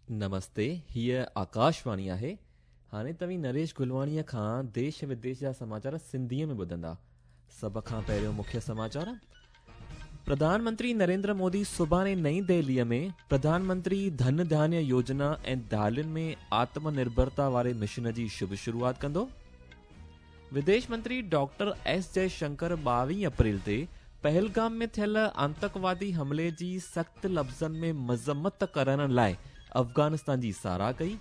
نمستي، هيء آڪاشواڻي آهي. هاڻي توهين نريش گلواڻيء کان ديش وديش جا سماچار سنڌيء ۾ ٻڌندا. سڀ کان پهريون مکيه سماچار. پرڌان منتري نريندر مودي سڀاڻي نئين دهليء ۾ پرڌان منتري ڌن ڌانيه يوجنا ۽ دالين ۾ آتم نرڀرتا واري مشن جي شڀ شروعات ڪندو. وديش منتري ڊاڪٽر ايس جئه شنڪر 22 اپريل تي پهلگام ۾ ٿيل آتنڪوادي حملي جي سخت لفظن ۾ مذمت ڪرڻ لاء افغانستان جي ساراهه ڪئي.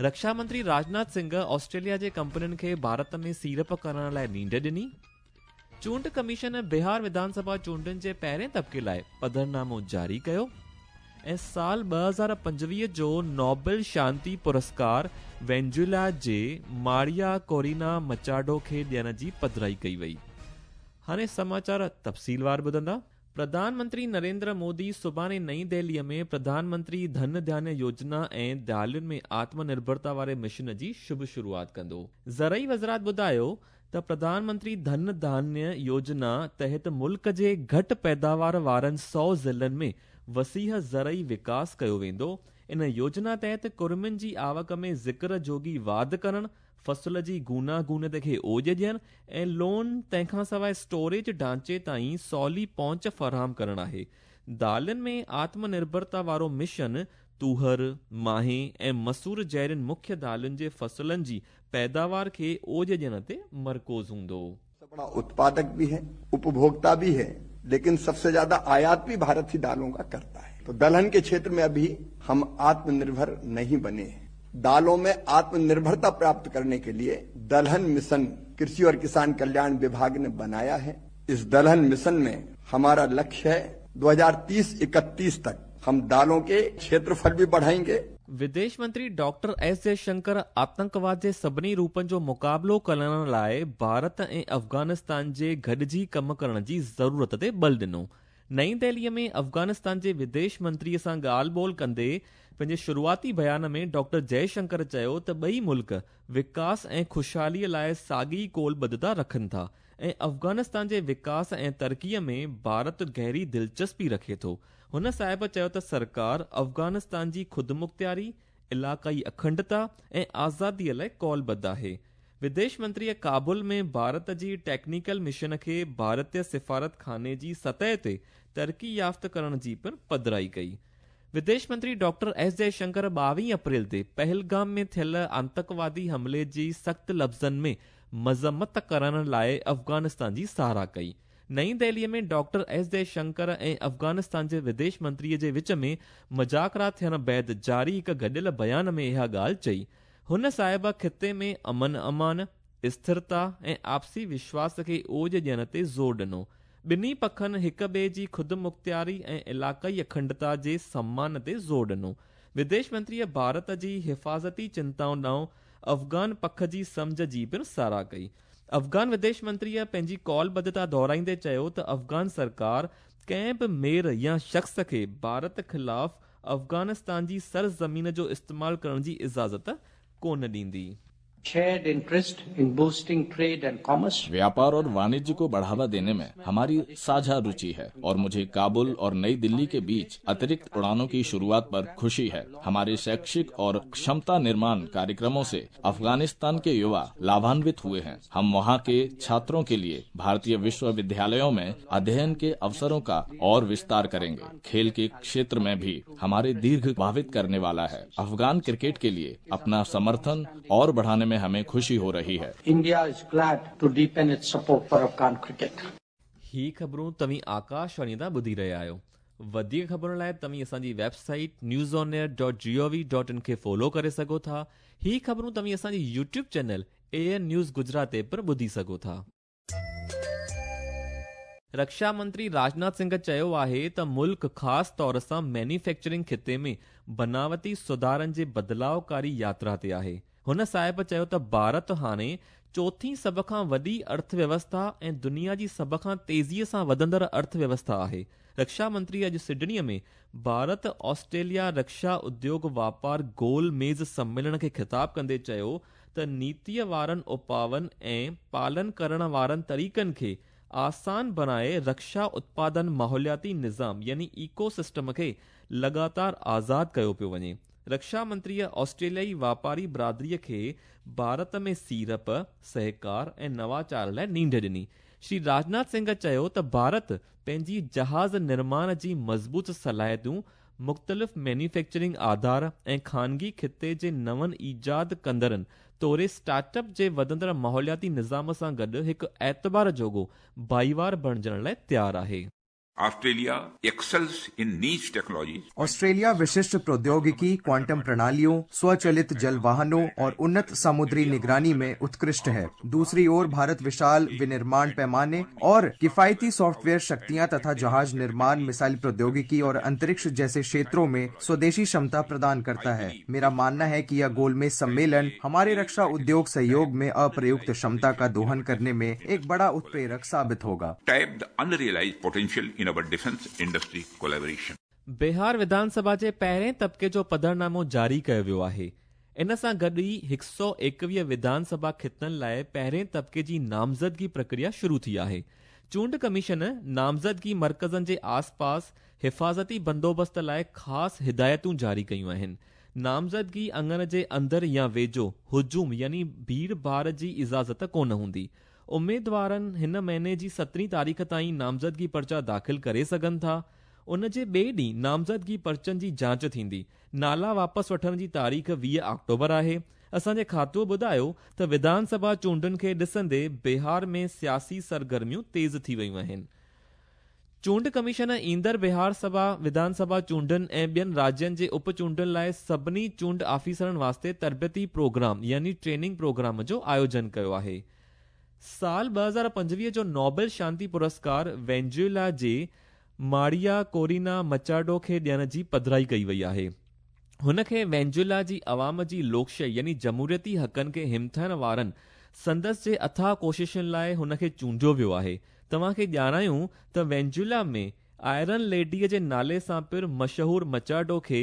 رڪشا منتري راجناٿ سنگهه آسٽريليا جي ڪمپنين کي ڀارت ۾ سيڙپ ڪرڻ لاء نينڍ ڏني. چونڊ ڪميشن بهار وڌان سڀا چونڊن جي پهرين طبقي لاء پڌرنامو جاري ڪيو ۽ سال 2025 جو نوبل شانتي پرسڪار وينزويلا جي ماريا ڪورينا مچاڊو کي ڏيڻ جي پڌرائي ڪئي وئي. هاڻي سماچار تفصيلوار ٻڌندا. پرڌان منتري نريندر مودي سڀاڻي نئين دهليء ۾ پرڌان منتري ڌن ڌانيه يوجنا ۽ دالين ۾ آتم نرڀرتا واري مشن جي شڀ شروعات ڪندو. زرعي وزارت ٻڌايو ته پرڌان منتري ڌن ڌانيه يوجنا تحت ملڪ جي گهٽ پيداوار وارن 100 ضلعن ۾ وسيع زرعي وڪاس ڪيو ويندو. ان يوجنا تحت ڪرمين جي آوڪ ۾ ذڪر جوڳي واڌ ڪرڻ، فصل جي گوناگونيت کي اوڄ ڏيڻ ۽ لون تنهن کان سواء اسٽوريج ڍانچي تائين سولي پهچ فراهم ڪرڻ آهي. دالين ۾ آتم نرڀرتا وارو مشن توهر، ماهي ۽ مسور جهڙين مکيه دالين جي فصلن جي پيداوار کي اوڄ ڏيڻ تي مرڪوز هوندو. بڑا उत्पादक भी है, उपभोक्ता भी है, लेकिन सबसे ज्यादा आयात भी भारत ही दालों का करता है। तो दलहन के क्षेत्र में अभी हम आत्मनिर्भर नहीं बने हैं। दालों में आत्मनिर्भरता प्राप्त करने के लिए दलहन मिशन कृषि और किसान कल्याण विभाग ने बनाया है। इस दलहन मिशन में हमारा लक्ष्य है 2030-31 तक हम दालों के क्षेत्रफल भी बढ़ाएंगे। विदेश मंत्री डॉक्टर एस जयशंकर आतंकवाद जे सभिनी रूपनि जो मुक़ाबिलो करण लाइ भारत ऐं अफ़ग़ानिस्तान जे गॾिजी कम करण जी ज़रूरत ते बल ॾिनो। नई दिल्लीअ में अफ़ग़ानिस्तान जे विदेश मंत्रीअ सां ॻाल्हि ॿोल कंदे पंहिंजे शुरूआती बयान में डॉक्टर जयशंकर चयो त ॿई मुल्क विकास ऐं ख़ुशहालीअ लाइ साॻी कोलबद्धता रखनि था ऐं अफ़ग़ानिस्तान जे विकास ऐं तरक़ीअ में भारत गहरी दिलचस्पी रखे थो। हुन साहिब चयो त सरकार अफ़ग़ानिस्तान जी ख़ुदमुख़्तियारी, इलाक़ाई अखंडता ऐं आज़ादीअ लाइ कौलबद्ध आहे। विदेश मंत्रीअ काबुल में भारत जी टेक्निकल मिशन खे भारतीय सिफ़ारत खाने जी सतह ते तरक़ी याफ़्त करण जी पिणु पधराई कई। विदेश मंत्री डॉक्टर एस जयशंकर 22 अप्रैल ते पहलगाम में थियल आतंकवादी हमले जी सख़्त लफ़्ज़नि में मज़म्मत करण लाइ अफ़ग़ानिस्तान जी सराह कई। नई दिल्लीअ में डॉक्टर एस जयशंकर ऐं अफ़ग़ानिस्तान जे विदेश मंत्रीअ जे विच में मुज़ाकरा थियण बाद जारी हिकु गॾियल बयान में इहा ॻाल्हि चई। हुन साहिब ख़िते में अमन अमान, स्थिरता ऐं आपसी विश्वास खे ओज ॾियण ते ज़ोर ॾिनो। ॿिन्ही पखनि हिक ॿिए जी ख़ुदमुख़्तियारी ऐं इलाक़ाई अखंडता जे सम्मान ते ज़ोर ॾिनो। विदेश मंत्रीअ भारत जी हिफ़ाज़ती चिंताउनि ॾांहुं अफ़ग़ान पख जी सम्झ जी पिणु सराह कई। अफ़ग़ान विदेश मंत्रीअ पंहिंजी कौलबद्धता दोहराईंदे चयो त अफ़ग़ान सरकार कंहिं बि मेर या शख़्स खे भारत ख़िलाफ़ अफ़ग़ानिस्तान जी सरज़मीन जो इस्तेमाल करण जी इजाज़त कोन ॾींदी। Shared interest in boosting trade and commerce. व्यापार और वाणिज्य को बढ़ावा देने में हमारी साझा रुचि है और मुझे काबुल और नई दिल्ली के बीच अतिरिक्त उड़ानों की शुरुआत पर खुशी है। हमारे शैक्षिक और क्षमता निर्माण कार्यक्रमों से अफगानिस्तान के युवा लाभान्वित हुए हैं। हम वहां के छात्रों के लिए भारतीय विश्वविद्यालयों में अध्ययन के अवसरों का और विस्तार करेंगे। खेल के क्षेत्र में भी हमारे दीर्घ प्रभावित करने वाला है। अफगान क्रिकेट के लिए अपना समर्थन और बढ़ाने में हमें खुशी हो रही है। India is glad to deepen its support for Afghan cricket. ही ख़बरूं तव्हीं आकाशवाणी तां ॿुधी रहिया आहियो। वधीक ख़बरुनि लाइ तव्हीं असांजी वेबसाइट newsonair.gov.in खे फॉलो करे सघो था। ही ख़बरूं तव्हीं असांजी YouTube channel AN news Gujarat ते पिणु ॿुधी सघो था। रक्षा मंत्री राजनाथ सिंह चयो आहे त मुल्क ख़ासि तौर सां मैन्युफैक्चरिंग ख़िते में बनावटी सुधारनि जे बदिलावकारी यात्रा ते आहे। हुन साहिब चयो त भारत हाणे चोथी सभ खां वॾी अर्थव्यवस्था ऐं दुनिया जी सभ खां तेज़ीअ सां वधंदड़ अर्थव्यवस्था आहे। रक्षा मंत्री अॼु सिडनीअ में भारत ऑस्ट्रेलिया रक्षा उद्योग वापार गोल मेज़ सम्मेलन खे ख़िताब कंदे चयो त नीतीअ वारनि उपाउनि ऐं पालन करण वारनि तरीक़नि खे आसान बणाए रक्षा उत्पादन माहौलियाती निज़ाम यानी इकोसिस्टम खे लगातार आज़ाद कयो पियो वञे। रक्षा मंत्रीअ ऑस्ट्रेलियाई वापारी बिरादरीअ खे भारत में सीड़प, सहकार ऐं नवाचार लाइ नींड ॾिनी। श्री राजनाथ सिंह चयो त भारत पंहिंजी जहाज़ निर्माण जी मज़बूत सलाहियतूं, मुख़्तलिफ़ मैन्युफैक्चरिंग आधार ऐं ख़ानगी ख़िते जे नवनि ईजाद कंदड़नि तोड़े स्टार्टअप जे वधंदड़ माहौलियाती निज़ाम सां गॾु हिकु एतबार जोॻो भाईवार बणिजण लाइ तयारु आहे। Australia excels in niche technologies. Australia विशिष्ट प्रौद्योगिकी, क्वांटम प्रणालियों, स्वचालित जल वाहनों और उन्नत समुद्री निगरानी में उत्कृष्ट है। दूसरी ओर भारत विशाल विनिर्माण पैमाने और किफायती सॉफ्टवेयर शक्तियां तथा जहाज निर्माण, मिसाइल प्रौद्योगिकी और अंतरिक्ष जैसे क्षेत्रों में स्वदेशी क्षमता प्रदान करता है। मेरा मानना है कि यह गोलमेज सम्मेलन हमारे रक्षा उद्योग सहयोग में अप्रयुक्त क्षमता का दोहन करने में एक बड़ा उत्प्रेरक साबित होगा। Tap the unrealized potential in our defense industry collaboration. Bihar विधानसभा जे पहिरें तबिके जो पधरनामो जारी कयो वियो आहे। इन सां गॾु ई 121 विधानसभा ख़ितनि लाइ पहिरें तबिके जी नामज़दगी प्रक्रिया शुरू थी आहे। चूंड कमीशन नामज़दगी मर्कज़नि जे आसपास हिफ़ाज़ती बंदोबस्त लाइ ख़ासि हिदायतूं जारी कयूं आहिनि। नामज़दगी अंगण जे अंदरि या वेझो हुजूम यानी भीड़ भाड़ जी इजाज़त कोन हूंदी। उमेदवारनि हिन महीने जी 17 तारीख़ ताईं नामज़दगी पर्चा दाख़िल करे सघनि था। उन जे ॿिए ॾींहुं नामज़दगी पर्चनि जी जांच थींदी। नाला वापसि वठण जी तारीख़ 20 ऑक्टोबर आहे। असांजे खातो ॿुधायो त विधानसभा चूंडुनि खे ॾिसंदे बिहार में सियासी सरगर्मियूं तेज़ थी वयूं आहिनि। चूंड कमीशन ईंदड़ बिहार सभा विधानसभा चूंडुनि ऐं ॿियनि राज्यनि जे उप चूंडुनि लाइ सभिनी चूंड ऑफिसरनि वास्ते तरबियती प्रोग्राम यानी ट्रेनिंग प्रोग्राम जो आयोजन कयो आहे। साल 2025 जो नोबेल शांति पुरस्कार वेनेजुएला जे मारिया कोरिना मचाडो खे ॾियण जी पधराई कई वई आहे। हुन खे वेनेजुएला जी अवाम जी लोकशाही यानी जमहूरियती हक़नि खे हिमथाइण वारनि संदसि जे अथाह कोशिशुनि लाइ हुन खे चूंडियो वियो आहे। तव्हांखे ॼाणायूं त वेनेजुएला में आयरन लेडीअ जे नाले सां पिणु मशहूर मचाडो खे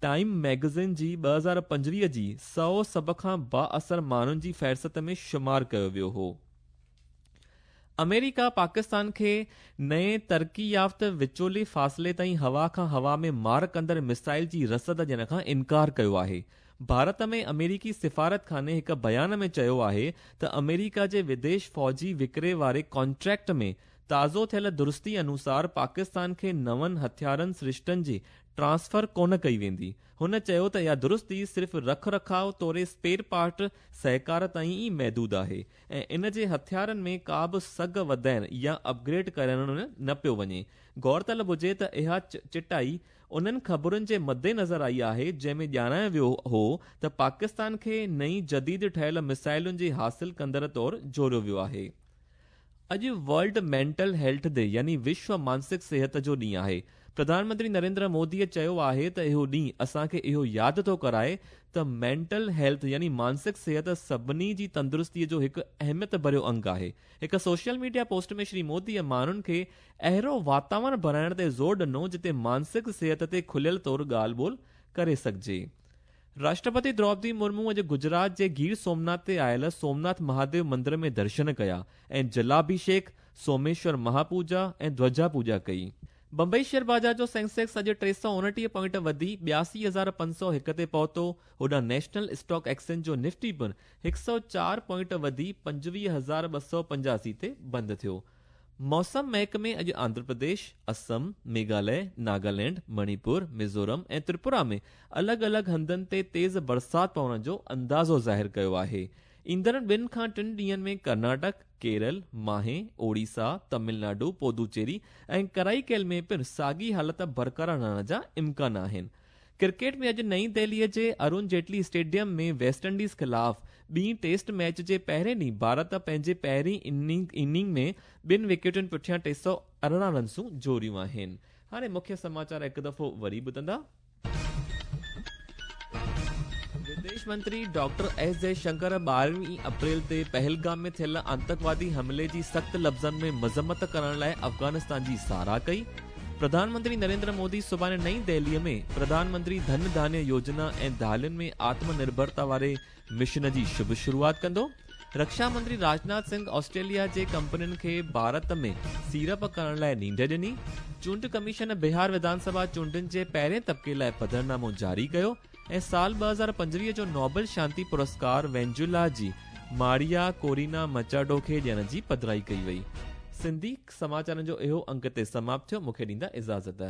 टाइम मैगज़ीन जी 2025 जी 100 सभ खां बाअसर माण्हुनि जी फ़हरिस्त में शुमार कयो वियो हो। अमेरिका पाकिस्तान खे नए तरक़ी याफ़्त विचोले फ़ासिले ताईं हवा खां हवा में मार कंदड़ मिसाइल जी रसद ॾियण खां इनकार कयो आहे। भारत में अमेरिकी सिफारत खाने हिकु बयान में चयो आहे त अमेरिका जे विदेश फ़ौजी विकिरे वारे कॉन्ट्रैक्ट में ताज़ो थियल दुरुस्ती अनुसार पाकिस्तान खे नवनि हथियारनि सरिश्तनि जी ट्रांसफर कोन कई वेंदी। हुन चयो त इहा दुरुस्ती सिर्फ़ रख रखाव तोड़े स्पेयर पार्ट सहकार ताईं ई महदूद आहे ऐं इन जे हथियारनि में का बि सघ वधाइण या अपग्रेड करण न पियो वञे। गौरतलब हुजे त इहा चिटाई उन्हनि ख़बरुनि जे मद्देनज़र आई आहे जंहिंमें ॼाणायो वियो हो त पाकिस्तान खे नई जदीद ठहियल मिसाइलुनि जी हासिल कंदड़ तौरु जोड़ियो वियो आहे। अॼु वर्ल्ड मेंटल हेल्थ डे यानी विश्व मानसिक सिहत जो ॾींहुं आहे। प्रधानमंत्री नरेंद्र मोदीअ चयो आहे त इहो ॾींहुं असांखे इहो यादि थो कराए त मेंटल हेल्थ यानी मानसिक सिहत सभिनी जी तंदुरुस्तीअ जो हिकु अहमियत भरियो अंग आहे। हिकु सोशल मीडिया पोस्ट में श्री मोदीअ माण्हुनि खे अहिड़ो वातावरण बणाइण ते ज़ोर ॾिनो जिते मानसिक सिहत ते खुलियल तौरु ॻाल्हि ॿोल करे सघिजे। राष्ट्रपति द्रौपदी मुर्मू अॼु गुजरात जे गिर सोमनाथ ते आयल सोमनाथ महादेव मंदिर में दर्शन कया ऐं जलाभिषेक, सोमेश्वर महापूजा ऐं ध्वजा पूजा कई। बंबई शेयर बाज़ार जो सेंसेक्स अॼु 329 पॉइंट वधी 82,501 ते पहुतो। होॾां नेशनल स्टॉक एक्सचेंज जो निफ्टी पिणु 104 पॉइंट वधी 25,285 ते बंदि थियो। मौसम महकमे अॼु आंध्र प्रदेश, असम, मेघालय, नागालैंड, मणिपुर, मिज़ोरम ऐं त्रिपुरा में अलॻि अलॻि हंधनि ते तेज़ बरसाति पवण जो अंदाज़ो ज़ाहिर कयो आहे। ईंदड़ 2 खां 3 ॾींहंनि में कर्नाटक, केरल, माहे, ओडिशा, तमिलनाडु, पुदुचेरी ऐं कराईकेल में पिणु साॻी हालत बरक़रार रहण जा इम्कान आहिनि। क्रिकेट में अॼु नई दिल्लीअ जे अरुण जेटली स्टेडियम में वेस्ट इंडीज़ ख़िलाफ़ ॿी टेस्ट मैच जे पहिरें ॾींहुं भारत पंहिंजे पहिरीं इनिंग में 2 विकेटुनि पुठियां 318 रनसूं जोड़ियूं आहिनि। हाणे मुख्य समाचार हिकु दफ़ो वरी ॿुधंदा। विदेश मंत्री डॉक्टर एस जयशंकर 12 अप्रैल ते पहलगाम में थियल आतंकवादी हमले जी सख़्त लफ़्ज़नि में मज़म्मत करण लाइ अफ़गानिस्तान जी सराह कई। प्रधानमंत्री नरेंद्र मोदी सुभाणे नई दिल्लीअ में प्रधानमंत्री धन धान्य योजना ऐं दालियुनि में आत्मनिर्भरता वारे मिशन जी शुभ शुरुआत कंदो। रक्षा मंत्री राजनाथ सिंह ऑस्ट्रेलिया जे कंपनियुनि खे भारत में सीड़प करण लाइ नींड ॾिनी। चूंड कमीशन बिहार विधानसभा चूंडुनि जे पहिरें तबिके लाइ पधरनामो जारी कयो। ۽ سال 2025 جو نوبل شانتي پرسڪار وينزويلا جي ماريا ڪورينا مچاڊو کي ڏيڻ جي پڌرائي ڪئي وئي. سنڌي سماچارن جو اهو انڪ هتي سماپت ٿيو. مون کي ڏيندا اجازت.